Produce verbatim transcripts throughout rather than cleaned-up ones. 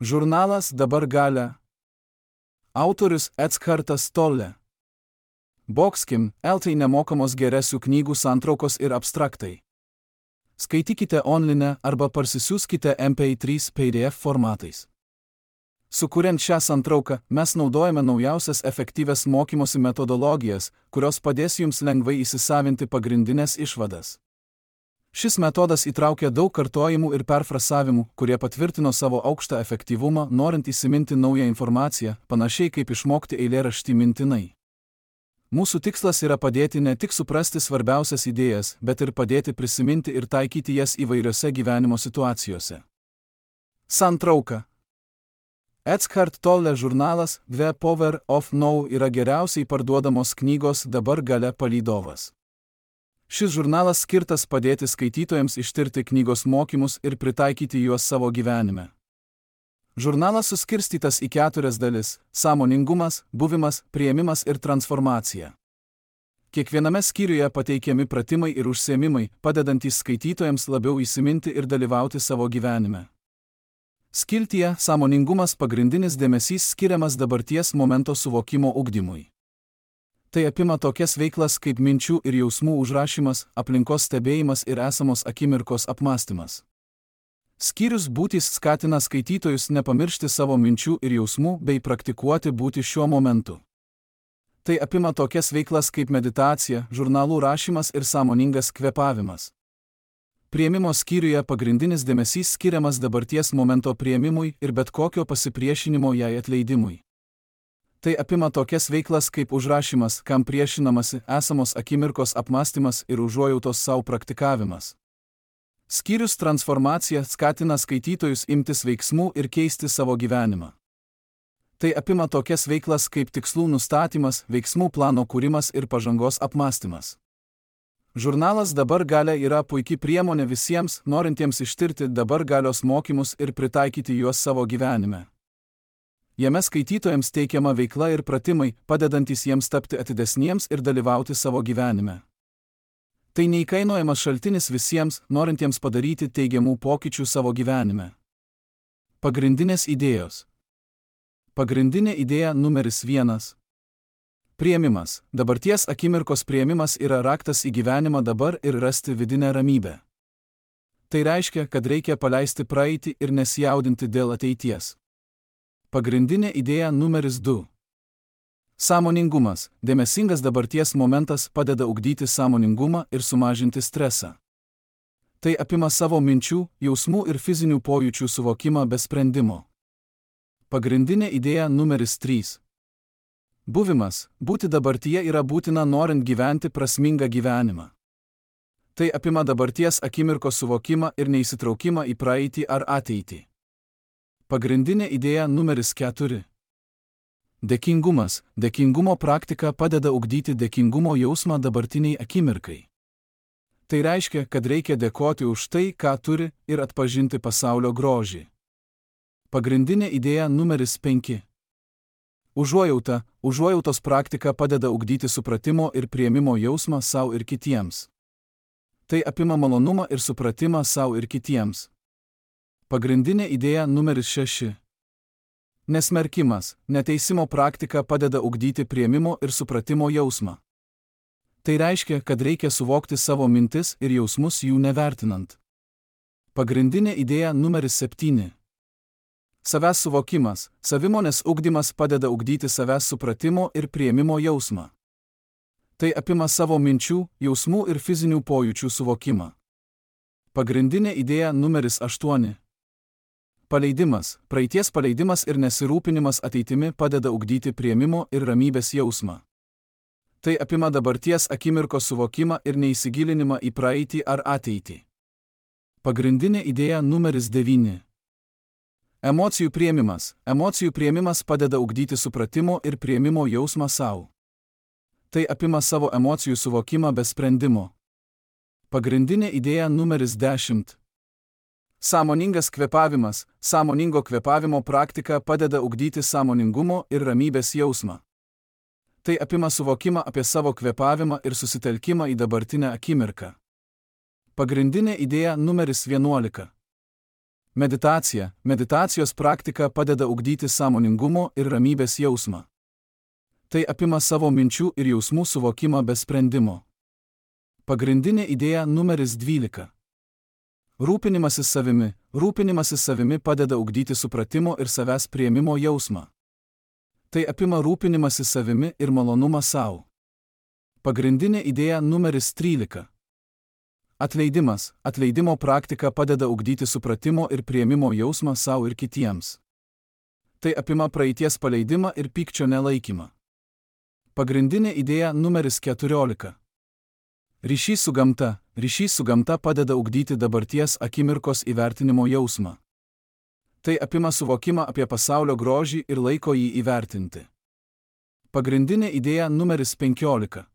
Žurnalas Dabar galia. Autorius Eckartas Tolle. Boxkim, eltai nemokamos geresių knygų santraukos ir abstraktai. Skaitykite online arba parsisiųskite M P trys P D F formatais. Sukuriant šią santrauką, mes naudojame naujausias efektyvias mokymosi metodologijas, kurios padės jums lengvai įsisavinti pagrindinės išvadas. Šis metodas įtraukia daug kartojimų ir perfrasavimų, kurie patvirtino savo aukštą efektyvumą, norint įsiminti naują informaciją, panašiai kaip išmokti eilėraštį mintinai. Mūsų tikslas yra padėti ne tik suprasti svarbiausias idėjas, bet ir padėti prisiminti ir taikyti jas įvairiose gyvenimo situacijose. Santrauka. Eckhart Tolle žurnalas The Power of Now yra geriausiai parduodamos knygos Dabar galia palydovas. Šis žurnalas skirtas padėti skaitytojams ištirti knygos mokymus ir pritaikyti juos savo gyvenime. Žurnalas suskirstytas į keturias dalis – sąmoningumas, buvimas, priėmimas ir transformacija. Kiekviename skyriuje pateikiami pratimai ir užsiėmimai, padedantys skaitytojams labiau įsiminti ir dalyvauti savo gyvenime. Skiltyje sąmoningumas pagrindinis dėmesys skiriamas dabarties momento suvokimo ugdymui. Tai apima tokias veiklas kaip minčių ir jausmų užrašymas, aplinkos stebėjimas ir esamos akimirkos apmąstymas. Skyrius būtis skatina skaitytojus nepamiršti savo minčių ir jausmų bei praktikuoti būti šiuo momentu. Tai apima tokias veiklas kaip meditacija, žurnalų rašymas ir sąmoningas kvėpavimas. Priėmimo skyriuje pagrindinis dėmesys skiriamas dabarties momento priėmimui ir bet kokio pasipriešinimo jai atleidimui. Tai apima tokias veiklas kaip užrašymas, kam priešinamasi, esamos akimirkos apmąstymas ir užuojautos savo praktikavimas. Skyrius transformacija skatina skaitytojus imtis veiksmų ir keisti savo gyvenimą. Tai apima tokias veiklas kaip tikslų nustatymas, veiksmų plano kūrimas ir pažangos apmąstymas. Žurnalas Dabar galia yra puikia priemonė visiems, norintiems ištirti dabar galios mokymus ir pritaikyti juos savo gyvenime. Jame skaitytojams teikiama veikla ir pratimai, padedantys jiems tapti atidesniems ir dalyvauti savo gyvenime. Tai neįkainojamas šaltinis visiems, norintiems padaryti teigiamų pokyčių savo gyvenime. Pagrindinės idėjos. Pagrindinė idėja numeris vienas. Priėmimas. Dabarties akimirkos priėmimas yra raktas į gyvenimą dabar ir rasti vidinę ramybę. Tai reiškia, kad reikia paleisti praeitį ir nesijaudinti dėl ateities. Pagrindinė idėja numeris du. Sąmoningumas. Dėmesingas dabarties momentas padeda ugdyti sąmoningumą ir sumažinti stresą. Tai apima savo minčių, jausmų ir fizinių pojūčių suvokimą be sprendimo. Pagrindinė idėja numeris trys. Buvimas. Būti dabartyje yra būtina norint gyventi prasmingą gyvenimą. Tai apima dabarties akimirkos suvokimą ir neįsitraukimą į praeitį ar ateitį. Pagrindinė idėja numeris keturi. Dėkingumas. Dėkingumo praktika padeda ugdyti dėkingumo jausmą dabartiniai akimirkai. Tai reiškia, kad reikia dėkoti už tai, ką turi, ir atpažinti pasaulio grožį. Pagrindinė idėja numeris penki. Užuojauta. Užuojautos praktika padeda ugdyti supratimo ir priėmimo jausmą sau ir kitiems. Tai apima malonumą ir supratimą sau ir kitiems. Pagrindinė idėja numeris šeši. Nesmerkimas. Neteisimo praktika padeda ugdyti priėmimo ir supratimo jausmą. Tai reiškia, kad reikia suvokti savo mintis ir jausmus jų nevertinant. Pagrindinė idėja numeris septyni. Savęs suvokimas. Savimonės ugdymas padeda ugdyti savęs supratimo ir priėmimo jausmą. Tai apima savo minčių, jausmų ir fizinių pojūčių suvokimą. Pagrindinė idėja numeris aštuoni. Paleidimas. Praeities paleidimas ir nesirūpinimas ateitimi padeda ugdyti priėmimo ir ramybės jausmą. Tai apima dabarties akimirkos suvokimą ir neįsigilinimą į praeitį ar ateitį. Pagrindinė idėja numeris devyni. Emocijų priėmimas. Emocijų priėmimas padeda ugdyti supratimo ir priėmimo jausmą sau. Tai apima savo emocijų suvokimą be sprendimo. Pagrindinė idėja numeris dešimt. Sąmoningas kvėpavimas. Sąmoningo kvėpavimo praktika padeda ugdyti sąmoningumo ir ramybės jausmą. Tai apima suvokimą apie savo kvėpavimą ir susitelkimą į dabartinę akimirką. Pagrindinė idėja numeris vienuolika. Meditacija. Meditacijos praktika padeda ugdyti sąmoningumo ir ramybės jausmą. Tai apima savo minčių ir jausmų suvokimą be sprendimo. Pagrindinė idėja numeris dvylika. Rūpinimasis savimi. Rūpinimasis savimi padeda ugdyti supratimo ir savęs priėmimo jausmą. Tai apima rūpinimąsi savimi ir malonumą savo. Pagrindinė idėja numeris trylika. Atleidimas. Atleidimo praktika padeda ugdyti supratimo ir priėmimo jausmą savo ir kitiems. Tai apima praeities paleidimą ir pykčio nelaikymą. Pagrindinė idėja numeris keturiolika. Ryšys su gamta. Ryšys su gamta padeda ugdyti dabarties akimirkos įvertinimo jausmą. Tai apima suvokimą apie pasaulio grožį ir laiko jį įvertinti. Pagrindinė idėja numeris penkiolika.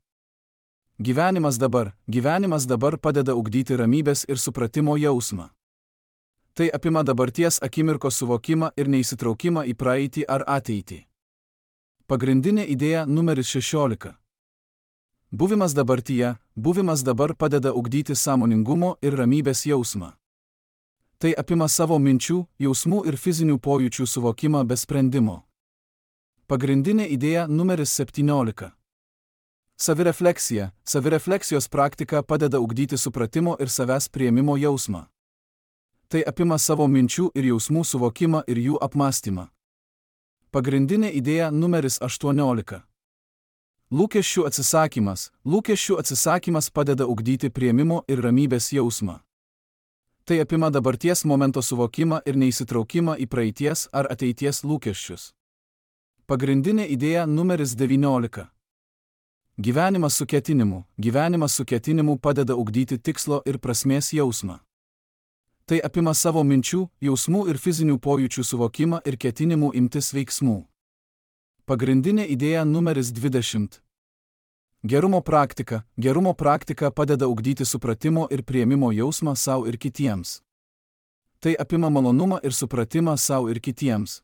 Gyvenimas dabar. Gyvenimas dabar padeda ugdyti ramybės ir supratimo jausmą. Tai apima dabarties akimirkos suvokimą ir neįsitraukimą į praeitį ar ateitį. Pagrindinė idėja numeris šešiolika. Buvimas dabartyje. Buvimas dabar padeda ugdyti sąmoningumo ir ramybės jausmą. Tai apima savo minčių, jausmų ir fizinių pojūčių suvokimą be sprendimo. Pagrindinė idėja numeris septyniolika. Savirefleksija. Savirefleksijos praktika padeda ugdyti supratimo ir savęs priėmimo jausmą. Tai apima savo minčių ir jausmų suvokimą ir jų apmąstymą. Pagrindinė idėja numeris aštuoniolika. Lūkesčių atsisakymas. Lūkesčių atsisakymas padeda ugdyti priėmimo ir ramybės jausmą. Tai apima dabarties momento suvokimą ir neįsitraukimą į praeities ar ateities lūkesčius. Pagrindinė idėja numeris devyniolika. Gyvenimas su ketinimu. Gyvenimas su ketinimu padeda ugdyti tikslo ir prasmės jausmą. Tai apima savo minčių, jausmų ir fizinių pojūčių suvokimą ir ketinimų imtis veiksmų. Pagrindinė idėja numeris dvidešimt. Gerumo praktika. Gerumo praktika padeda ugdyti supratimo ir priėmimo jausmą savo ir kitiems. Tai apima malonumą ir supratimą savo ir kitiems.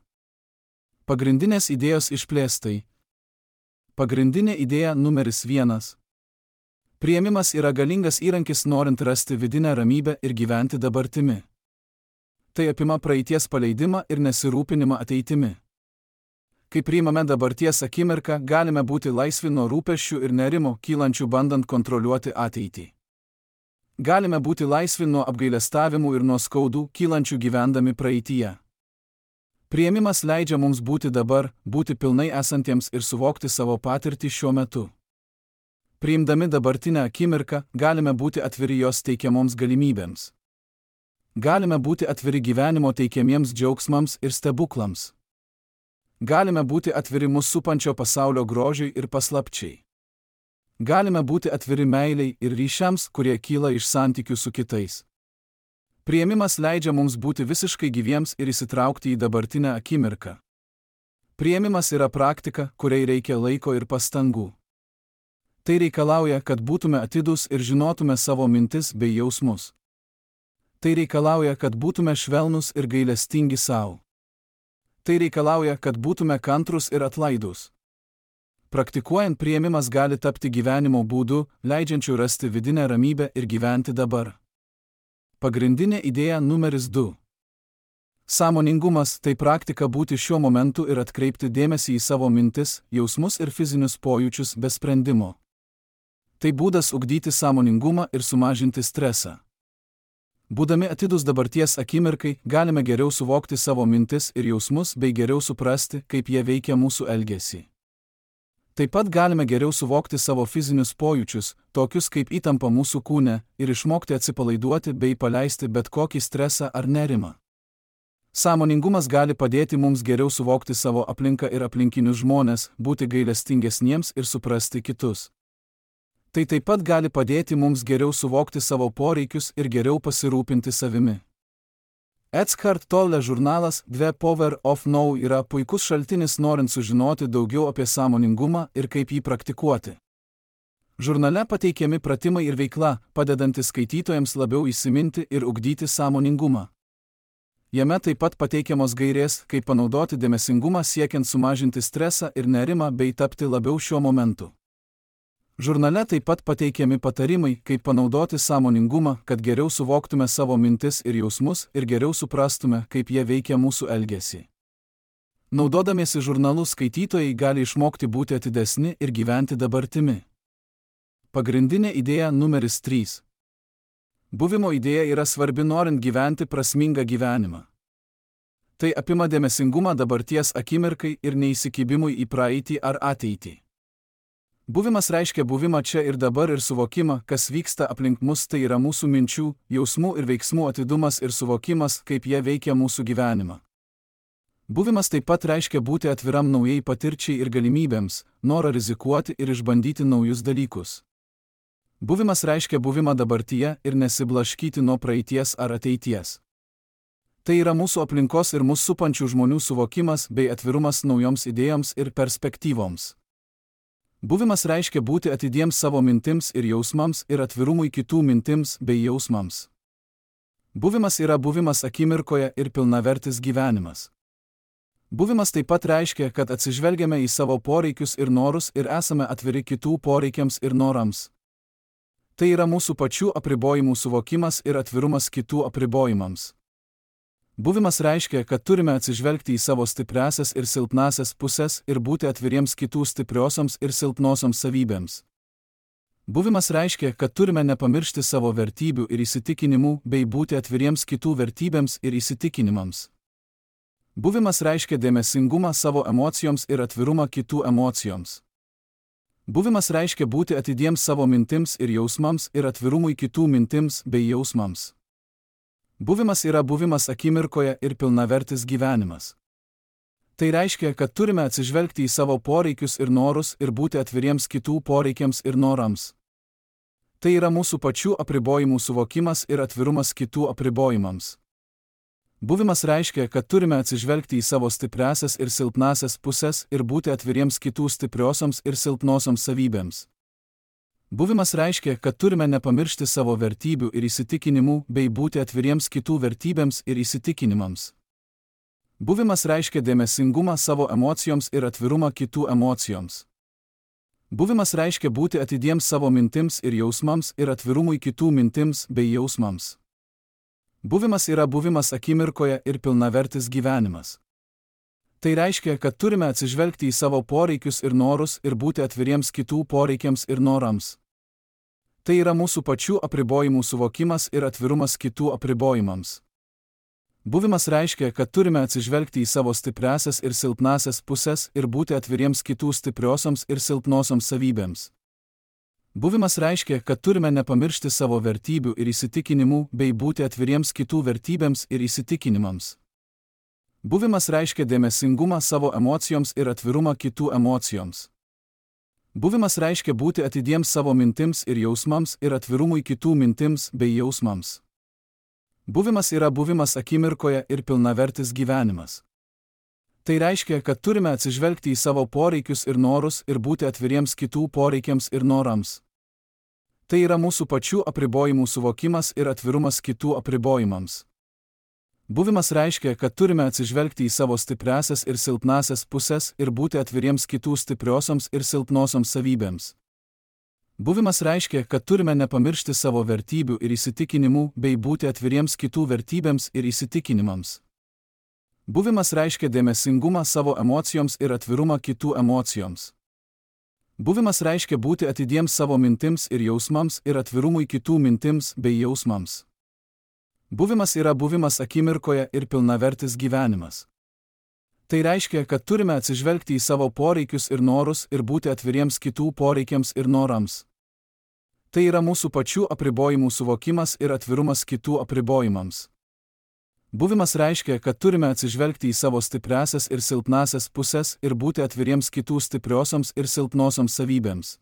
Pagrindinės idėjos išplėstai. Pagrindinė idėja numeris vienas. Priėmimas yra galingas įrankis norint rasti vidinę ramybę ir gyventi dabartimi. Tai apima praeities paleidimą ir nesirūpinimą ateitimi. Kai priimame dabarties akimirką, galime būti laisvi nuo rūpesčių ir nerimo, kylančių bandant kontroliuoti ateitį. Galime būti laisvi nuo apgailestavimų ir nuo skaudų, kylančių gyvendami praeityje. Priėmimas leidžia mums būti dabar, būti pilnai esantiems ir suvokti savo patirtį šiuo metu. Priimdami dabartinę akimirką, galime būti atviri jos teikiamoms galimybėms. Galime būti atviri gyvenimo teikiamiems džiaugsmams ir stebuklams. Galime būti atviri mus supančio pasaulio grožiui ir paslapčiai. Galime būti atviri meiliai ir ryšiams, kurie kyla iš santykių su kitais. Priėmimas leidžia mums būti visiškai gyviems ir įsitraukti į dabartinę akimirką. Priėmimas yra praktika, kuriai reikia laiko ir pastangų. Tai reikalauja, kad būtume atidūs ir žinotume savo mintis bei jausmus. Tai reikalauja, kad būtume švelnūs ir gailestingi savo. Tai reikalauja, kad būtume kantrūs ir atlaidūs. Praktikuojant priėmimas gali tapti gyvenimo būdu, leidžiančiu rasti vidinę ramybę ir gyventi dabar. Pagrindinė idėja numeris du. Sąmoningumas – tai praktika būti šiuo momentu ir atkreipti dėmesį į savo mintis, jausmus ir fizinius pojūčius be sprendimo. Tai būdas ugdyti sąmoningumą ir sumažinti stresą. Būdami atidūs dabarties akimirkai, galime geriau suvokti savo mintis ir jausmus bei geriau suprasti, kaip jie veikia mūsų elgesį. Taip pat galime geriau suvokti savo fizinius pojūčius, tokius kaip įtampa mūsų kūne, ir išmokti atsipalaiduoti bei paleisti bet kokį stresą ar nerimą. Sąmoningumas gali padėti mums geriau suvokti savo aplinką ir aplinkinius žmones, būti gailestingesniems ir suprasti kitus. Tai taip pat gali padėti mums geriau suvokti savo poreikius ir geriau pasirūpinti savimi. Eckhart Tolle žurnalas The Power of Now yra puikus šaltinis norint sužinoti daugiau apie sąmoningumą ir kaip jį praktikuoti. Žurnale pateikiami pratimai ir veikla, padedantis skaitytojams labiau įsiminti ir ugdyti sąmoningumą. Jame taip pat pateikiamos gairės, kaip panaudoti dėmesingumą siekiant sumažinti stresą ir nerimą bei tapti labiau šiuo momentu. Žurnale taip pat pateikiami patarimai, kaip panaudoti sąmoningumą, kad geriau suvoktume savo mintis ir jausmus ir geriau suprastume, kaip jie veikia mūsų elgesį. Naudodamiesi žurnalu skaitytojai gali išmokti būti atidesni ir gyventi dabartimi. Pagrindinė idėja numeris trys. Buvimo idėja yra svarbi norint gyventi prasmingą gyvenimą. Tai apima dėmesingumą dabarties akimirkai ir neįsikibimui į praeitį ar ateitį. Buvimas reiškia buvimą čia ir dabar ir suvokimą, kas vyksta aplink mus, tai yra mūsų minčių, jausmų ir veiksmų atidumas ir suvokimas, kaip jie veikia mūsų gyvenimą. Buvimas taip pat reiškia būti atviram naujai patirčiai ir galimybėms, norą rizikuoti ir išbandyti naujus dalykus. Buvimas reiškia buvimą dabartyje ir nesiblaškyti nuo praeities ar ateities. Tai yra mūsų aplinkos ir mūsų supančių žmonių suvokimas bei atvirumas naujoms idėjoms ir perspektyvoms. Buvimas reiškia būti atidiems savo mintims ir jausmams ir atvirumui kitų mintims bei jausmams. Buvimas yra buvimas akimirkoje ir pilnavertis gyvenimas. Buvimas taip pat reiškia, kad atsižvelgiame į savo poreikius ir norus ir esame atviri kitų poreikiams ir norams. Tai yra mūsų pačių apribojimų suvokimas ir atvirumas kitų apribojimams. Buvimas reiškia, kad turime atsižvelgti į savo stipriasias ir silpnasias pusės ir būti atviriems kitų stipriosioms ir silpnosioms savybėms. Buvimas reiškia, kad turime nepamiršti savo vertybių ir įsitikinimų bei būti atviriems kitų vertybėms ir įsitikinimams. Buvimas reiškia dėmesingumą savo emocijoms ir atvirumą kitų emocijoms. Buvimas reiškia būti atidiems savo mintims ir jausmams ir atvirumui kitų mintims bei jausmams. Buvimas yra buvimas akimirkoje ir pilnavertis gyvenimas. Tai reiškia, kad turime atsižvelgti į savo poreikius ir norus ir būti atviriems kitų poreikiams ir norams. Tai yra mūsų pačių apribojimų suvokimas ir atvirumas kitų apribojimams. Buvimas reiškia, kad turime atsižvelgti į savo stipriasias ir silpnasias pusės ir būti atviriems kitų stipriosioms ir silpnosioms savybėms. Buvimas reiškia, kad turime nepamiršti savo vertybių ir įsitikinimų bei būti atviriems kitų vertybėms ir įsitikinimams. Buvimas reiškia dėmesingumą savo emocijoms ir atvirumą kitų emocijoms. Buvimas reiškia būti atidiems savo mintims ir jausmams ir atvirumui kitų mintims bei jausmams. Buvimas yra buvimas akimirkoje ir pilnavertis gyvenimas. Tai reiškia, kad turime atsižvelgti į savo poreikius ir norus ir būti atviriems kitų poreikiams ir norams. Tai yra mūsų pačių apribojimų suvokimas ir atvirumas kitų apribojimams. Buvimas reiškia, kad turime atsižvelgti į savo stipriasias ir silpnasias pusės ir būti atviriems kitų stipriosioms ir silpnosioms savybėms. Buvimas reiškia, kad turime nepamiršti savo vertybių ir įsitikinimų bei būti atviriems kitų vertybėms ir įsitikinimams. Buvimas reiškia dėmesingumą savo emocijoms ir atvirumą kitų emocijoms. Buvimas reiškia būti atidiems savo mintims ir jausmams ir atvirumui kitų mintims bei jausmams. Buvimas yra buvimas akimirkoje ir pilnavertis gyvenimas. Tai reiškia, kad turime atsižvelgti į savo poreikius ir norus ir būti atviriems kitų poreikiams ir norams. Tai yra mūsų pačių apribojimų suvokimas ir atvirumas kitų apribojimams. Buvimas reiškia, kad turime atsižvelgti į savo stipriasias ir silpnasias pusės ir būti atviriems kitų stipriosioms ir silpnosioms savybėms. Buvimas reiškia, kad turime nepamiršti savo vertybių ir įsitikinimų bei būti atviriems kitų vertybėms ir įsitikinimams. Buvimas reiškia dėmesingumą savo emocijoms ir atvirumą kitų emocijoms. Buvimas reiškia būti atidiems savo mintims ir jausmams ir atvirumui kitų mintims bei jausmams. Buvimas yra buvimas akimirkoje ir pilnavertis gyvenimas. Tai reiškia, kad turime atsižvelgti į savo poreikius ir norus ir būti atviriems kitų poreikiams ir norams. Tai yra mūsų pačių apribojimų suvokimas ir atvirumas kitų apribojimams. Buvimas reiškia, kad turime atsižvelgti į savo stipriasias ir silpnasias pusės ir būti atviriems kitų stipriosioms ir silpnosioms savybėms.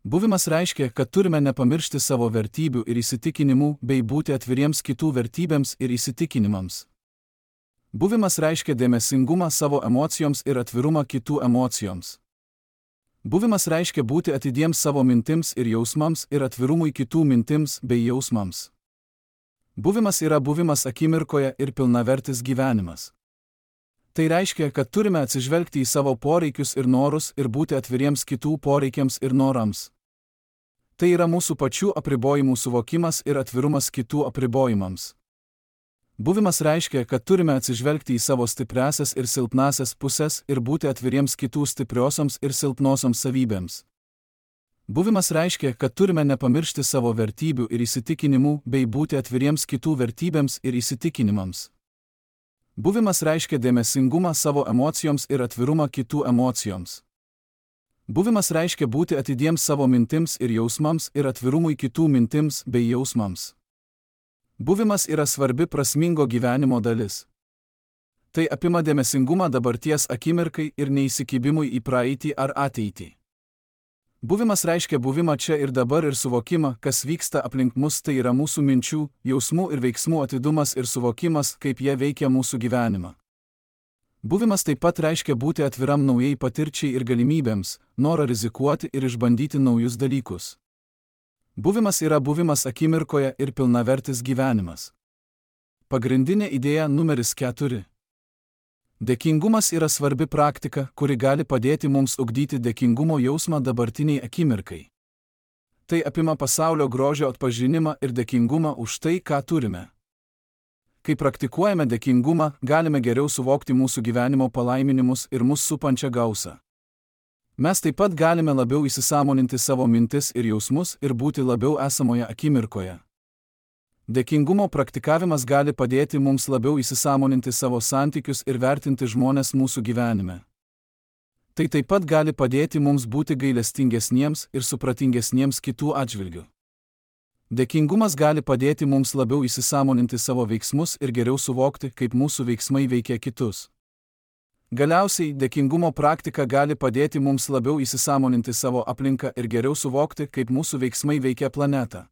Buvimas reiškia, kad turime nepamiršti savo vertybių ir įsitikinimų bei būti atviriems kitų vertybėms ir įsitikinimams. Buvimas reiškia dėmesingumą savo emocijoms ir atvirumą kitų emocijoms. Buvimas reiškia būti atidiems savo mintims ir jausmams ir atvirumui kitų mintims bei jausmams. Buvimas yra buvimas akimirkoje ir pilnavertis gyvenimas. Tai reiškia, kad turime atsižvelgti į savo poreikius ir norus ir būti atviriems kitų poreikiams ir norams. Tai yra mūsų pačių apribojimų suvokimas ir atvirumas kitų apribojimams. Buvimas reiškia, kad turime atsižvelgti į savo stipriasias ir silpnasias pusės ir būti atviriems kitų stipriosioms ir silpnosioms savybėms. Buvimas reiškia, kad turime nepamiršti savo vertybių ir įsitikinimų bei būti atviriems kitų vertybėms ir įsitikinimams. Buvimas reiškia dėmesingumą savo emocijoms ir atvirumą kitų emocijoms. Buvimas reiškia būti atidiems savo mintims ir jausmams ir atvirumui kitų mintims bei jausmams. Buvimas yra svarbi prasmingo gyvenimo dalis. Tai apima dėmesingumą dabarties akimirkai ir neįsikibimui į praeitį ar ateitį. Buvimas reiškia buvimą čia ir dabar ir suvokimą, kas vyksta aplink mus, tai yra mūsų minčių, jausmų ir veiksmų atidumas ir suvokimas, kaip jie veikia mūsų gyvenimą. Buvimas taip pat reiškia būti atviram naujai patirčiai ir galimybėms, norą rizikuoti ir išbandyti naujus dalykus. Buvimas yra buvimas akimirkoje ir pilnavertis gyvenimas. Pagrindinė idėja numeris keturi. Dėkingumas yra svarbi praktika, kuri gali padėti mums ugdyti dėkingumo jausmą dabartiniai akimirkai. Tai apima pasaulio grožio atpažinimą ir dėkingumą už tai, ką turime. Kai praktikuojame dėkingumą, galime geriau suvokti mūsų gyvenimo palaiminimus ir mus supančią gausą. Mes taip pat galime labiau įsisąmoninti savo mintis ir jausmus ir būti labiau esamoje akimirkoje. Dėkingumo praktikavimas gali padėti mums labiau įsisąmoninti savo santykius ir vertinti žmones mūsų gyvenime. Tai taip pat gali padėti mums būti gailestingesniems ir supratingesniems kitų atžvilgių. Dėkingumas gali padėti mums labiau įsisąmoninti savo veiksmus ir geriau suvokti, kaip mūsų veiksmai veikia kitus. Galiausiai, dėkingumo praktika gali padėti mums labiau įsisąmoninti savo aplinką ir geriau suvokti, kaip mūsų veiksmai veikia planetą.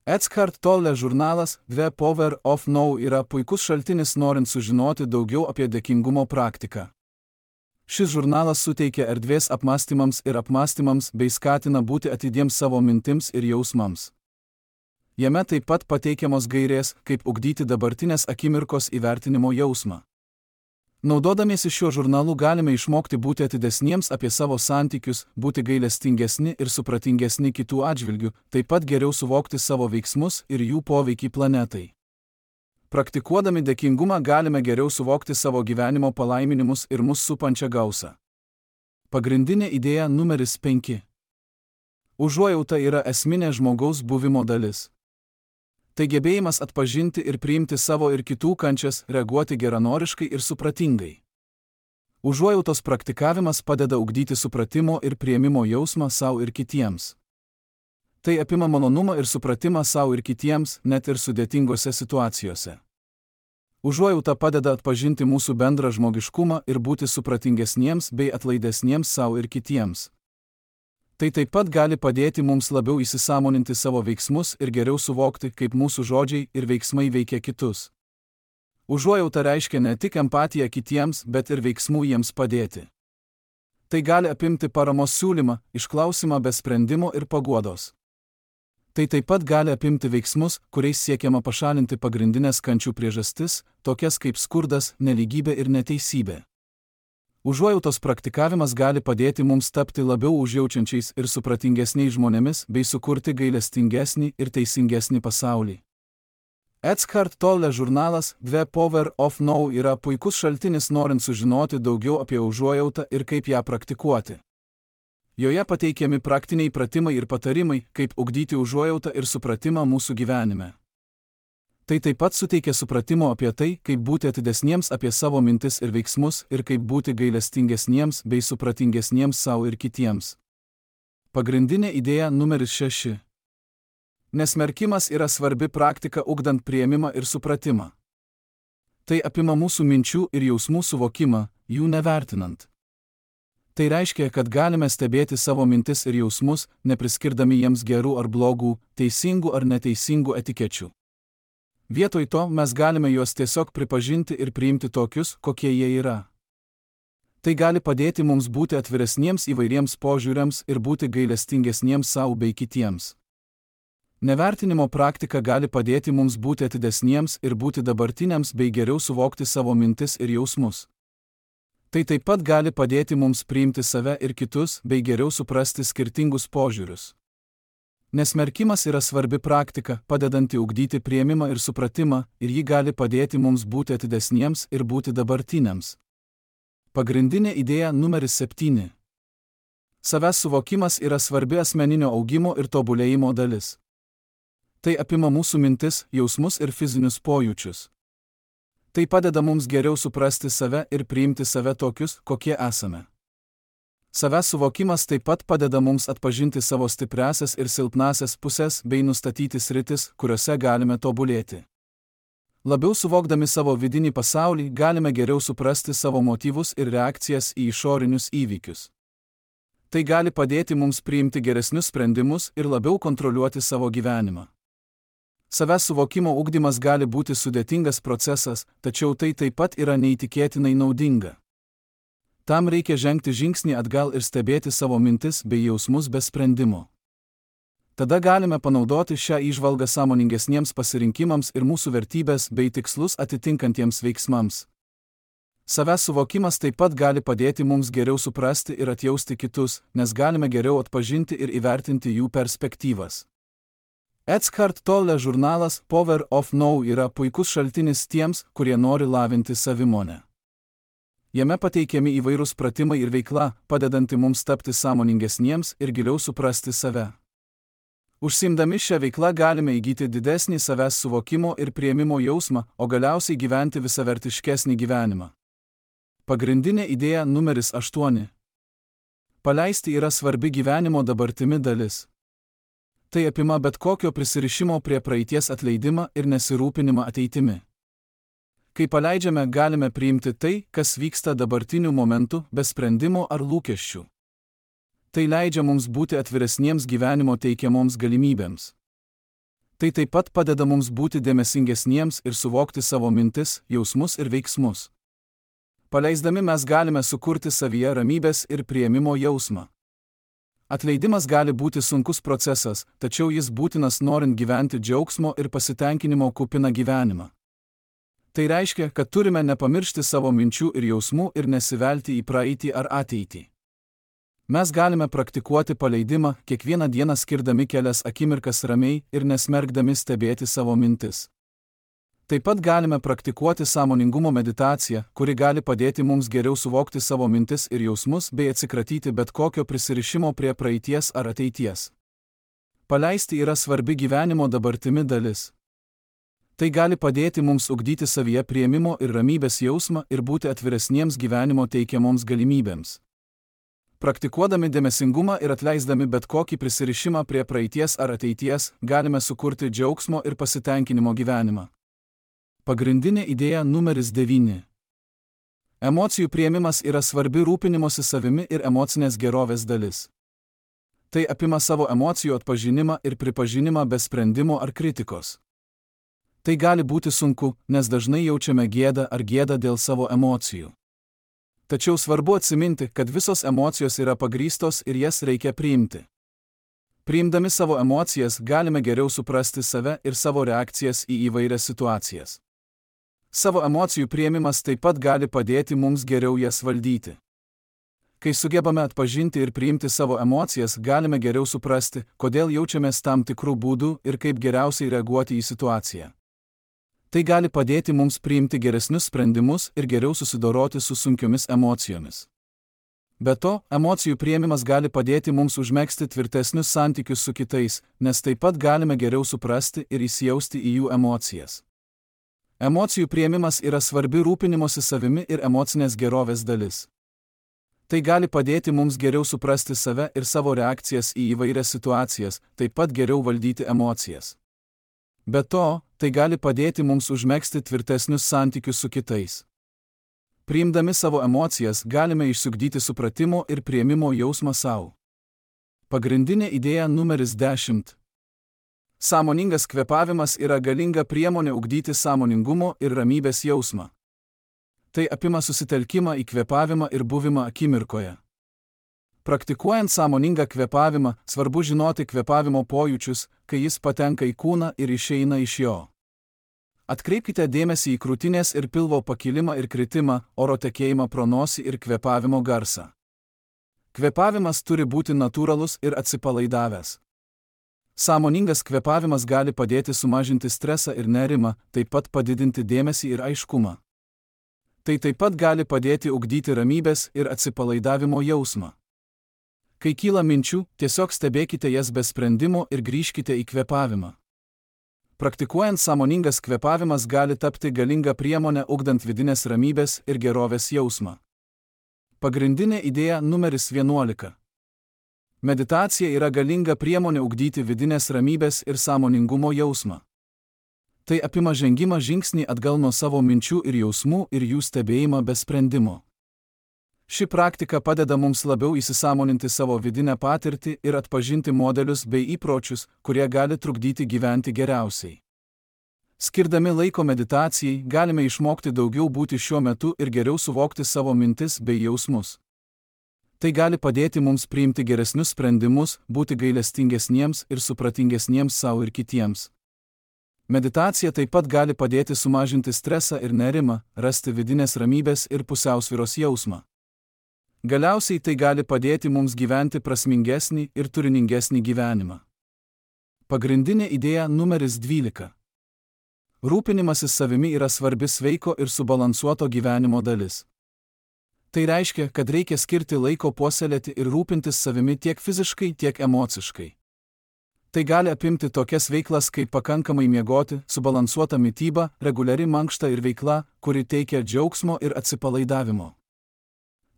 Eckhart Tolle žurnalas The Power of Now yra puikus šaltinis norint sužinoti daugiau apie dėkingumo praktiką. Šis žurnalas suteikia erdvės apmąstymams ir apmąstymams bei skatina būti atidiems savo mintims ir jausmams. Jame taip pat pateikiamos gairės, kaip ugdyti dabartinės akimirkos įvertinimo jausmą. Naudodamiesi šiuo žurnalu galime išmokti būti atidesniems apie savo santykius, būti gailestingesni ir supratingesni kitų atžvilgių, taip pat geriau suvokti savo veiksmus ir jų poveikį planetai. Praktikuodami dėkingumą galime geriau suvokti savo gyvenimo palaiminimus ir mus supančią gausą. Pagrindinė idėja numeris penki. Užuojauta yra esminė žmogaus buvimo dalis. Tai gebėjimas atpažinti ir priimti savo ir kitų kančias, reaguoti geranoriškai ir supratingai. Užuojautos praktikavimas padeda ugdyti supratimo ir priėmimo jausmą savo ir kitiems. Tai apima malonumą ir supratimą savo ir kitiems, net ir sudėtingose situacijose. Užuojauta padeda atpažinti mūsų bendrą žmogiškumą ir būti supratingesniems bei atlaidesniems savo ir kitiems. Tai taip pat gali padėti mums labiau įsisąmoninti savo veiksmus ir geriau suvokti, kaip mūsų žodžiai ir veiksmai veikia kitus. Užuojauta reiškia ne tik empatiją kitiems, bet ir veiksmų jiems padėti. Tai gali apimti paramos siūlymą, išklausimą be sprendimo ir paguodos. Tai taip pat gali apimti veiksmus, kuriais siekiama pašalinti pagrindinės kančių priežastis, tokias kaip skurdas, nelygybė ir neteisybė. Užuojautos praktikavimas gali padėti mums tapti labiau užjaučiančiais ir supratingesniais žmonėmis bei sukurti gailestingesnį ir teisingesnį pasaulį. Eckhart Tolle žurnalas The Power of Now yra puikus šaltinis norint sužinoti daugiau apie užuojautą ir kaip ją praktikuoti. Joje pateikiami praktiniai pratimai ir patarimai, kaip ugdyti užuojautą ir supratimą mūsų gyvenime. Tai taip pat suteikia supratimo apie tai, kaip būti atidesniems apie savo mintis ir veiksmus ir kaip būti gailestingesniems bei supratingesniems savo ir kitiems. Pagrindinė idėja numeris šeši. Nesmerkimas yra svarbi praktika ugdant priėmimą ir supratimą. Tai apima mūsų minčių ir jausmų suvokimą, jų nevertinant. Tai reiškia, kad galime stebėti savo mintis ir jausmus, nepriskirdami jiems gerų ar blogų, teisingų ar neteisingų etikečių. Vietoj to mes galime juos tiesiog pripažinti ir priimti tokius, kokie jie yra. Tai gali padėti mums būti atviresniems įvairiems požiūriams ir būti gailestingesniems savo bei kitiems. Nevertinimo praktika gali padėti mums būti atidesniems ir būti dabartiniams bei geriau suvokti savo mintis ir jausmus. Tai taip pat gali padėti mums priimti save ir kitus bei geriau suprasti skirtingus požiūrius. Nesmerkimas yra svarbi praktika, padedanti ugdyti priėmimą ir supratimą, ir ji gali padėti mums būti atidesniems ir būti dabartiniams. Pagrindinė idėja numeris septyni. Savęs suvokimas yra svarbi asmeninio augimo ir tobulėjimo dalis. Tai apima mūsų mintis, jausmus ir fizinius pojūčius. Tai padeda mums geriau suprasti save ir priimti save tokius, kokie esame. Savęs suvokimas taip pat padeda mums atpažinti savo stipriąsias ir silpnąsias pusės bei nustatyti sritis, kuriuose galime tobulėti. Labiau suvokdami savo vidinį pasaulį, galime geriau suprasti savo motyvus ir reakcijas į išorinius įvykius. Tai gali padėti mums priimti geresnius sprendimus ir labiau kontroliuoti savo gyvenimą. Savęs suvokimo ugdymas gali būti sudėtingas procesas, tačiau tai taip pat yra neįtikėtinai naudinga. Tam reikia žengti žingsnį atgal ir stebėti savo mintis bei jausmus be sprendimo. Tada galime panaudoti šią įžvalgą sąmoningesniems pasirinkimams ir mūsų vertybės bei tikslus atitinkantiems veiksmams. Savęs suvokimas taip pat gali padėti mums geriau suprasti ir atjausti kitus, nes galime geriau atpažinti ir įvertinti jų perspektyvas. Eckhart Tolle žurnalas Power of Now yra puikus šaltinis tiems, kurie nori lavinti savimonę. Jame pateikiami įvairūs pratimai ir veikla, padedanti mums tapti sąmoningesniems ir giliau suprasti save. Užsiimdami šią veiklą galime įgyti didesnį savęs suvokimo ir priėmimo jausmą, o galiausiai gyventi visavertiškesnį gyvenimą. Pagrindinė idėja numeris aštuoni. Paleisti yra svarbi gyvenimo dabartimi dalis. Tai apima bet kokio prisirišimo prie praeities atleidimą ir nesirūpinimą ateitimi. Kai paleidžiame, galime priimti tai, kas vyksta dabartiniu momentu, be sprendimo ar lūkesčių. Tai leidžia mums būti atviresniems gyvenimo teikiamoms galimybėms. Tai taip pat padeda mums būti dėmesingesniems ir suvokti savo mintis, jausmus ir veiksmus. Paleisdami mes galime sukurti savyje ramybės ir priėmimo jausmą. Atleidimas gali būti sunkus procesas, tačiau jis būtinas norint gyventi džiaugsmo ir pasitenkinimo kupiną gyvenimą. Tai reiškia, kad turime nepamiršti savo minčių ir jausmų ir nesivelti į praeitį ar ateitį. Mes galime praktikuoti paleidimą, kiekvieną dieną skirdami kelias akimirkas ramiai ir nesmerkdami stebėti savo mintis. Taip pat galime praktikuoti sąmoningumo meditaciją, kuri gali padėti mums geriau suvokti savo mintis ir jausmus bei atsikratyti bet kokio prisirišimo prie praeities ar ateities. Paleisti yra svarbi gyvenimo dabartimi dalis. Tai gali padėti mums ugdyti savyje priėmimo ir ramybės jausmą ir būti atviresniems gyvenimo teikiamoms galimybėms. Praktikuodami dėmesingumą ir atleisdami bet kokį prisirišimą prie praeities ar ateities, galime sukurti džiaugsmo ir pasitenkinimo gyvenimą. Pagrindinė idėja numeris devyni. Emocijų priėmimas yra svarbi rūpinimosi savimi ir emocinės gerovės dalis. Tai apima savo emocijų atpažinimą ir pripažinimą be sprendimo ar kritikos. Tai gali būti sunku, nes dažnai jaučiame gėdą ar gėdą dėl savo emocijų. Tačiau svarbu atsiminti, kad visos emocijos yra pagrįstos ir jas reikia priimti. Priimdami savo emocijas galime geriau suprasti save ir savo reakcijas į įvairias situacijas. Savo emocijų priėmimas taip pat gali padėti mums geriau jas valdyti. Kai sugebame atpažinti ir priimti savo emocijas, galime geriau suprasti, kodėl jaučiamės tam tikrų būdų ir kaip geriausiai reaguoti į situaciją. Tai gali padėti mums priimti geresnius sprendimus ir geriau susidoroti su sunkiomis emocijomis. Be to, emocijų priėmimas gali padėti mums užmegzti tvirtesnius santykius su kitais, nes taip pat galime geriau suprasti ir įsijausti į jų emocijas. Emocijų priėmimas yra svarbi rūpinimosi savimi ir emocinės gerovės dalis. Tai gali padėti mums geriau suprasti save ir savo reakcijas į įvairias situacijas, taip pat geriau valdyti emocijas. Be to, tai gali padėti mums užmegzti tvirtesnius santykius su kitais. Priimdami savo emocijas galime išsiugdyti supratimo ir priėmimo jausmą savo. Pagrindinė idėja numeris dešimt. Sąmoningas kvėpavimas yra galinga priemonė ugdyti sąmoningumo ir ramybės jausmą. Tai apima susitelkimą į kvėpavimą ir buvimą akimirkoje. Praktikuojant sąmoningą kvėpavimą, svarbu žinoti kvėpavimo pojūčius, kai jis patenka į kūną ir išeina iš jo. Atkreipkite dėmesį į krūtinės ir pilvo pakilimą ir kritimą, oro tekėjimą pro nosį ir kvėpavimo garsą. Kvėpavimas turi būti natūralus ir atsipalaidavęs. Sąmoningas kvėpavimas gali padėti sumažinti stresą ir nerimą, taip pat padidinti dėmesį ir aiškumą. Tai taip pat gali padėti ugdyti ramybės ir atsipalaidavimo jausmą. Kai kyla minčių, tiesiog stebėkite jas be sprendimo ir grįžkite į kvėpavimą. Praktikuojant sąmoningas kvėpavimas gali tapti galinga priemonė ugdant vidinės ramybės ir gerovės jausmą. Pagrindinė idėja numeris vienuolika. Meditacija yra galinga priemonė ugdyti vidinės ramybės ir sąmoningumo jausmą. Tai apima žengimą žingsnį atgal nuo savo minčių ir jausmų ir jų stebėjimą be sprendimo. Ši praktika padeda mums labiau įsisąmoninti savo vidinę patirtį ir atpažinti modelius bei įpročius, kurie gali trukdyti gyventi geriausiai. Skirdami laiko meditacijai, galime išmokti daugiau būti šiuo metu ir geriau suvokti savo mintis bei jausmus. Tai gali padėti mums priimti geresnius sprendimus, būti gailestingesniems ir supratingesniems savo ir kitiems. Meditacija taip pat gali padėti sumažinti stresą ir nerimą, rasti vidinės ramybės ir pusiausvyros jausmą. Galiausiai tai gali padėti mums gyventi prasmingesnį ir turiningesnį gyvenimą. Pagrindinė idėja numeris dvylika. Rūpinimasis savimi yra svarbi sveiko ir subalansuoto gyvenimo dalis. Tai reiškia, kad reikia skirti laiko puoselėti ir rūpintis savimi tiek fiziškai, tiek emociškai. Tai gali apimti tokias veiklas kaip pakankamai miegoti, subalansuota mityba, reguliari mankšta ir veikla, kuri teikia džiaugsmo ir atsipalaidavimo.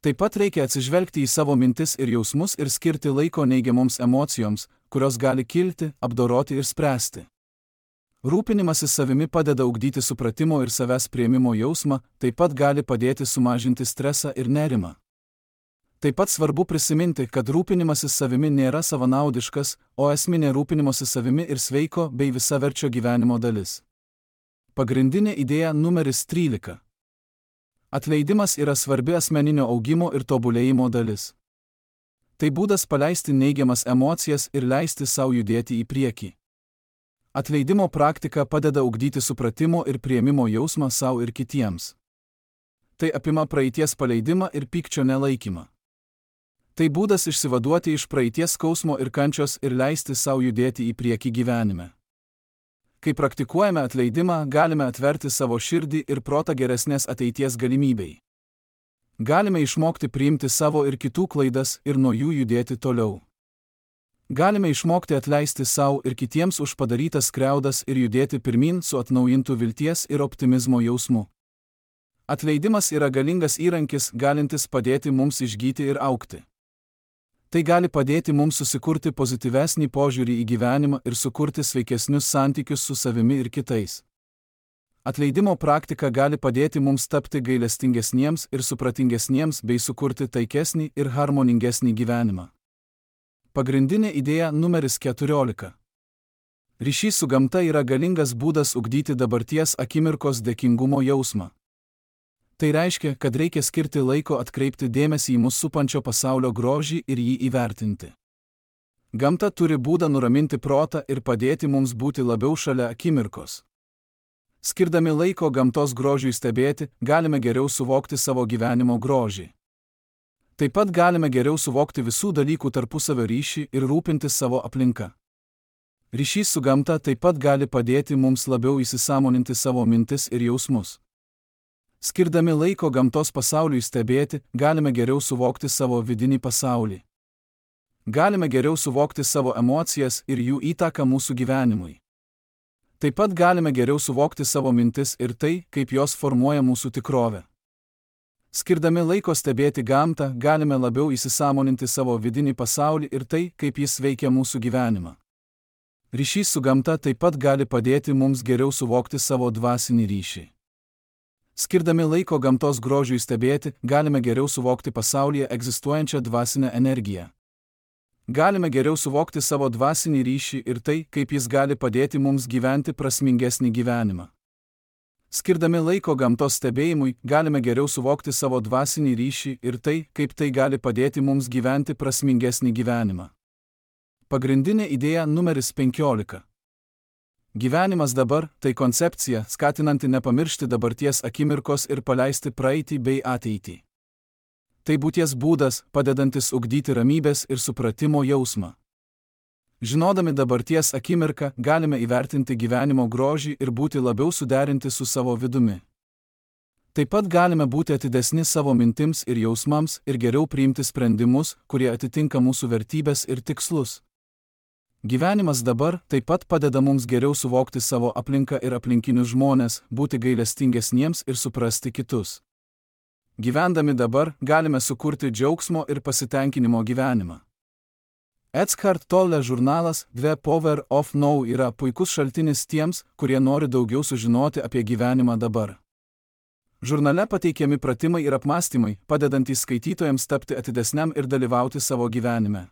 Taip pat reikia atsižvelgti į savo mintis ir jausmus ir skirti laiko neigiamoms emocijoms, kurios gali kilti, apdoroti ir spręsti. Rūpinimasis savimi padeda ugdyti supratimo ir savęs priėmimo jausmą, taip pat gali padėti sumažinti stresą ir nerimą. Taip pat svarbu prisiminti, kad rūpinimasis savimi nėra savanaudiškas, o esminė rūpinimosi savimi ir sveiko bei visaverčio gyvenimo dalis. Pagrindinė idėja numeris trylika. Atleidimas yra svarbi asmeninio augimo ir tobulėjimo dalis. Tai būdas paleisti neigiamas emocijas ir leisti savo judėti į priekį. Atleidimo praktika padeda ugdyti supratimo ir priėmimo jausmą savo ir kitiems. Tai apima praeities paleidimą ir pykčio nelaikymą. Tai būdas išsivaduoti iš praeities skausmo ir kančios ir leisti savo judėti į priekį gyvenime. Kai praktikuojame atleidimą, galime atverti savo širdį ir protą geresnės ateities galimybei. Galime išmokti priimti savo ir kitų klaidas ir nuo jų judėti toliau. Galime išmokti atleisti savo ir kitiems už padarytas skriaudas ir judėti pirmin su atnaujintu vilties ir optimizmo jausmu. Atleidimas yra galingas įrankis, galintis padėti mums išgyti ir augti. Tai gali padėti mums susikurti pozityvesnį požiūrį į gyvenimą ir sukurti sveikesnius santykius su savimi ir kitais. Atleidimo praktika gali padėti mums tapti gailestingesniems ir supratingesniems bei sukurti taikesnį ir harmoningesnį gyvenimą. Pagrindinė idėja numeris keturiolika. Ryšys su gamta yra galingas būdas ugdyti dabarties akimirkos dėkingumo jausmą. Tai reiškia, kad reikia skirti laiko atkreipti dėmesį į mus supančio pasaulio grožį ir jį įvertinti. Gamta turi būdą nuraminti protą ir padėti mums būti labiau šalia akimirkos. Skirdami laiko gamtos grožiui stebėti, galime geriau suvokti savo gyvenimo grožį. Taip pat galime geriau suvokti visų dalykų tarpusavio ryšį ir rūpintis savo aplinka. Ryšys su gamta taip pat gali padėti mums labiau įsisąmoninti savo mintis ir jausmus. Skirdami laiko gamtos pasauliui stebėti, galime geriau suvokti savo vidinį pasaulį. Galime geriau suvokti savo emocijas ir jų įtaką mūsų gyvenimui. Taip pat galime geriau suvokti savo mintis ir tai, kaip jos formuoja mūsų tikrovę. Skirdami laiko stebėti gamtą, galime labiau įsisąmoninti savo vidinį pasaulį ir tai, kaip jis veikia mūsų gyvenimą. Ryšys su gamta taip pat gali padėti mums geriau suvokti savo dvasinį ryšį. Skirdami laiko gamtos grožiui stebėti, galime geriau suvokti pasaulyje egzistuojančią dvasinę energiją. Galime geriau suvokti savo dvasinį ryšį ir tai, kaip jis gali padėti mums gyventi prasmingesnį gyvenimą. Skirdami laiko gamtos stebėjimui, galime geriau suvokti savo dvasinį ryšį ir tai, kaip tai gali padėti mums gyventi prasmingesnį gyvenimą. Pagrindinė idėja numeris penkiolika. Gyvenimas dabar – tai koncepcija, skatinanti nepamiršti dabarties akimirkos ir paleisti praeitį bei ateitį. Tai būties būdas, padedantis ugdyti ramybės ir supratimo jausmą. Žinodami dabarties akimirką, galime įvertinti gyvenimo grožį ir būti labiau suderinti su savo vidumi. Taip pat galime būti atidesni savo mintims ir jausmams ir geriau priimti sprendimus, kurie atitinka mūsų vertybės ir tikslus. Gyvenimas dabar taip pat padeda mums geriau suvokti savo aplinką ir aplinkinius žmones, būti gailestingesniems ir suprasti kitus. Gyvendami dabar, galime sukurti džiaugsmo ir pasitenkinimo gyvenimą. Eckhart Tolle žurnalas The Power of Now yra puikus šaltinis tiems, kurie nori daugiau sužinoti apie gyvenimą dabar. Žurnale pateikiami pratimai ir apmąstymai, padedantys skaitytojams tapti atidesniam ir dalyvauti savo gyvenime.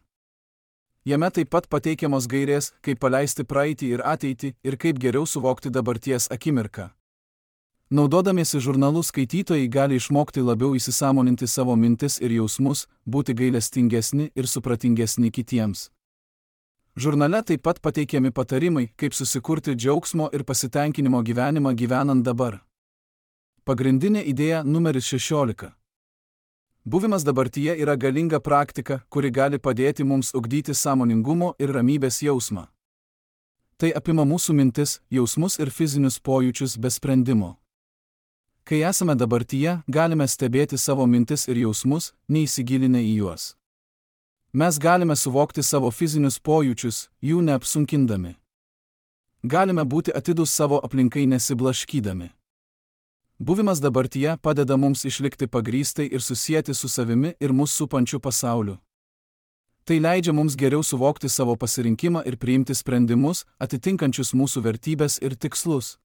Jame taip pat pateikiamos gairės, kaip paleisti praeitį ir ateitį ir kaip geriau suvokti dabarties akimirką. Naudodamiesi žurnalu skaitytojai gali išmokti labiau įsisąmoninti savo mintis ir jausmus, būti gailestingesni ir supratingesni kitiems. Žurnale taip pat pateikiami patarimai, kaip susikurti džiaugsmo ir pasitenkinimo gyvenimą gyvenant dabar. Pagrindinė idėja numeris šešiolika. Buvimas dabartyje yra galinga praktika, kuri gali padėti mums ugdyti sąmoningumo ir ramybės jausmą. Tai apima mūsų mintis, jausmus ir fizinius pojūčius be sprendimo. Kai esame dabartyje, galime stebėti savo mintis ir jausmus, neįsigilinę į juos. Mes galime suvokti savo fizinius pojūčius, jų neapsunkindami. Galime būti atidūs savo aplinkai nesiblaškydami. Buvimas dabartyje padeda mums išlikti pagrįstai ir susieti su savimi ir mus supančiu pasauliu. Tai leidžia mums geriau suvokti savo pasirinkimą ir priimti sprendimus, atitinkančius mūsų vertybės ir tikslus.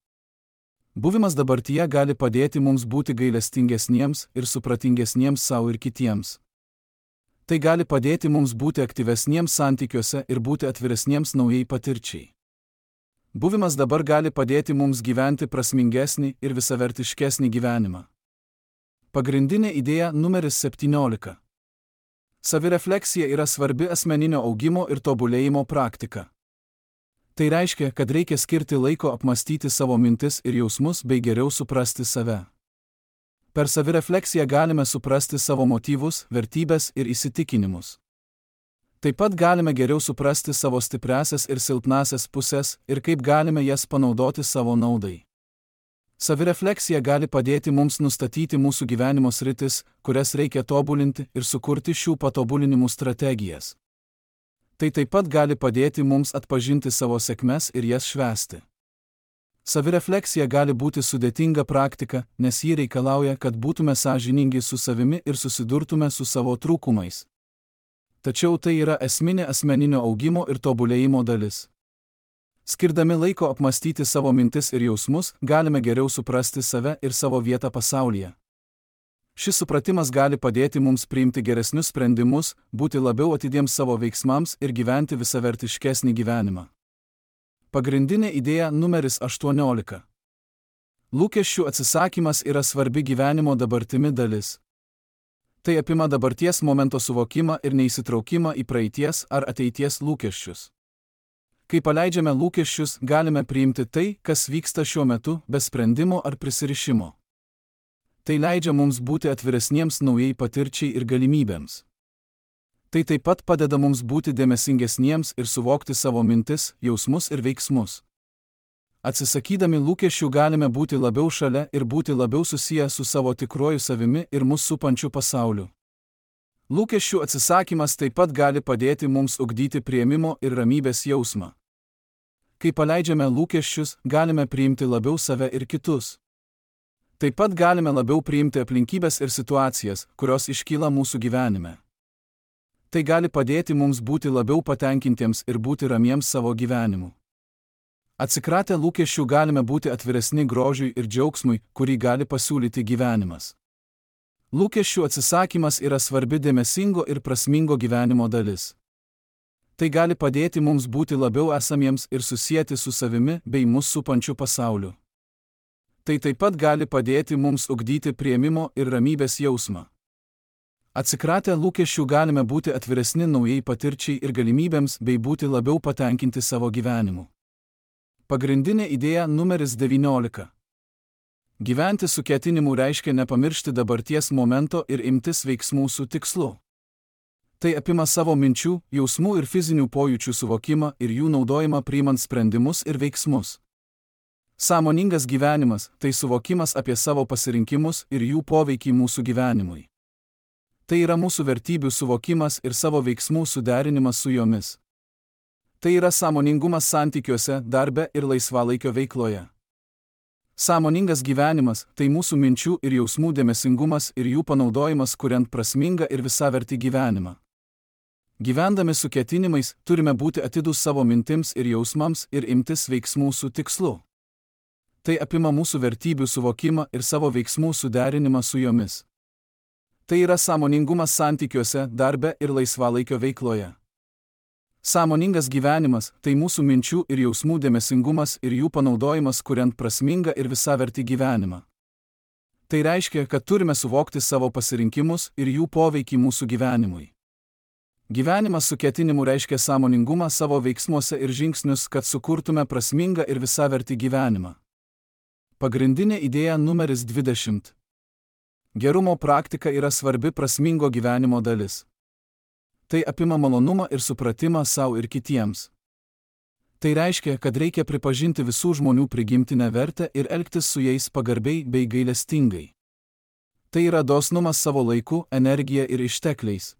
Buvimas dabartyje gali padėti mums būti gailestingesniems ir supratingesniems savo ir kitiems. Tai gali padėti mums būti aktyvesniems santykiuose ir būti atviresniems naujai patirčiai. Buvimas dabar gali padėti mums gyventi prasmingesnį ir visavertiškesnį gyvenimą. Pagrindinė idėja numeris septyniolika. Savirefleksija yra svarbi asmeninio augimo ir tobulėjimo praktika. Tai reiškia, kad reikia skirti laiko apmąstyti savo mintis ir jausmus bei geriau suprasti save. Per savirefleksiją galime suprasti savo motyvus, vertybės ir įsitikinimus. Taip pat galime geriau suprasti savo stipriąsias ir silpnąsias pusės ir kaip galime jas panaudoti savo naudai. Savirefleksija gali padėti mums nustatyti mūsų gyvenimo sritis, kurias reikia tobulinti ir sukurti šių patobulinimų strategijas. Tai taip pat gali padėti mums atpažinti savo sėkmes ir jas švęsti. Savirefleksija gali būti sudėtinga praktika, nes ji reikalauja, kad būtume sąžiningi su savimi ir susidurtume su savo trūkumais. Tačiau tai yra esminė asmeninio augimo ir tobulėjimo dalis. Skirdami laiko apmąstyti savo mintis ir jausmus, galime geriau suprasti save ir savo vietą pasaulyje. Šis supratimas gali padėti mums priimti geresnius sprendimus, būti labiau atidiems savo veiksmams ir gyventi visavertiškesnį gyvenimą. Pagrindinė idėja numeris aštuoniolika. Lūkesčių atsisakymas yra svarbi gyvenimo dabartimi dalis. Tai apima dabarties momento suvokimą ir neįsitraukimą į praeities ar ateities lūkesčius. Kai paleidžiame lūkesčius, galime priimti tai, kas vyksta šiuo metu, be sprendimo ar prisirišimo. Tai leidžia mums būti atviresniems naujai patirčiai ir galimybėms. Tai taip pat padeda mums būti dėmesingesniems ir suvokti savo mintis, jausmus ir veiksmus. Atsisakydami lūkesčių galime būti labiau šalia ir būti labiau susiję su savo tikruoju savimi ir mus supančiu pasauliu. Lūkesčių atsisakymas taip pat gali padėti mums ugdyti priėmimo ir ramybės jausmą. Kai paleidžiame lūkesčius, galime priimti labiau save ir kitus. Taip pat galime labiau priimti aplinkybės ir situacijas, kurios iškyla mūsų gyvenime. Tai gali padėti mums būti labiau patenkintiems ir būti ramiems savo gyvenimu. Atsikratę lūkesčių galime būti atviresni grožiui ir džiaugsmui, kurį gali pasiūlyti gyvenimas. Lūkesčių atsisakymas yra svarbi dėmesingo ir prasmingo gyvenimo dalis. Tai gali padėti mums būti labiau esamiems ir susieti su savimi bei mus supančiu pasauliu. Tai taip pat gali padėti mums ugdyti priėmimo ir ramybės jausmą. Atsikratę lūkesčių galime būti atviresni naujai patirčiai ir galimybėms bei būti labiau patenkinti savo gyvenimu. Pagrindinė idėja numeris devyniolika. Gyventi su ketinimu reiškia nepamiršti dabarties momento ir imtis veiksmų su tikslu. Tai apima savo minčių, jausmų ir fizinių pojūčių suvokimą ir jų naudojimą priimant sprendimus ir veiksmus. Sąmoningas gyvenimas – tai suvokimas apie savo pasirinkimus ir jų poveikį mūsų gyvenimui. Tai yra mūsų vertybių suvokimas ir savo veiksmų suderinimas su jomis. Tai yra sąmoningumas santykiuose, darbe ir laisvalaikio veikloje. Sąmoningas gyvenimas – tai mūsų minčių ir jausmų dėmesingumas ir jų panaudojimas kuriant prasmingą ir visavertį gyvenimą. Gyvendami su ketinimais, turime būti atidūs savo mintims ir jausmams ir imtis veiksmų su tikslu. Tai apima mūsų vertybių suvokimą ir savo veiksmų suderinimą su jomis. Tai yra sąmoningumas santykiuose, darbe ir laisvalaikio veikloje. Sąmoningas gyvenimas – tai mūsų minčių ir jausmų dėmesingumas ir jų panaudojimas kuriant prasmingą ir visavertį gyvenimą. Tai reiškia, kad turime suvokti savo pasirinkimus ir jų poveikį mūsų gyvenimui. Gyvenimas su ketinimu reiškia sąmoningumą savo veiksmuose ir žingsnius, kad sukurtume prasmingą ir visavertį gyvenimą. Pagrindinė idėja numeris dvidešimt. Gerumo praktika yra svarbi prasmingo gyvenimo dalis. Tai apima malonumą ir supratimą savo ir kitiems. Tai reiškia, kad reikia pripažinti visų žmonių prigimtinę vertę ir elgtis su jais pagarbiai bei gailestingai. Tai yra dosnumas savo laiku, energija ir ištekliais.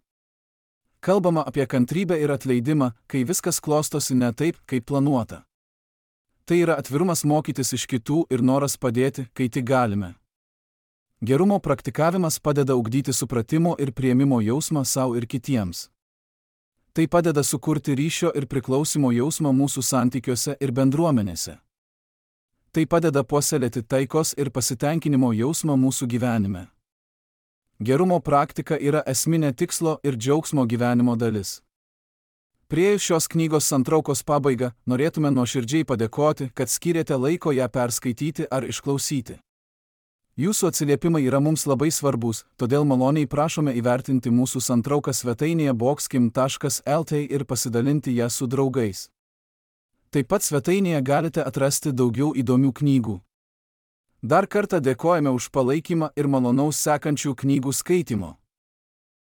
Kalbama apie kantrybę ir atleidimą, kai viskas klostosi ne taip, kaip planuota. Tai yra atvirumas mokytis iš kitų ir noras padėti, kai tik galime. Gerumo praktikavimas padeda ugdyti supratimo ir priėmimo jausmą savo ir kitiems. Tai padeda sukurti ryšio ir priklausimo jausmą mūsų santykiuose ir bendruomenėse. Tai padeda puoselėti taikos ir pasitenkinimo jausmą mūsų gyvenime. Gerumo praktika yra esminė tikslo ir džiaugsmo gyvenimo dalis. Priėjus šios knygos santraukos pabaigą, norėtume nuoširdžiai padėkoti, kad skyrėte laiko ją perskaityti ar išklausyti. Jūsų atsiliepimai yra mums labai svarbus, todėl maloniai prašome įvertinti mūsų santrauką svetainėje boxkim taškas el t ir pasidalinti ją su draugais. Taip pat svetainėje galite atrasti daugiau įdomių knygų. Dar kartą dėkojame už palaikymą ir malonaus sekančių knygų skaitimo.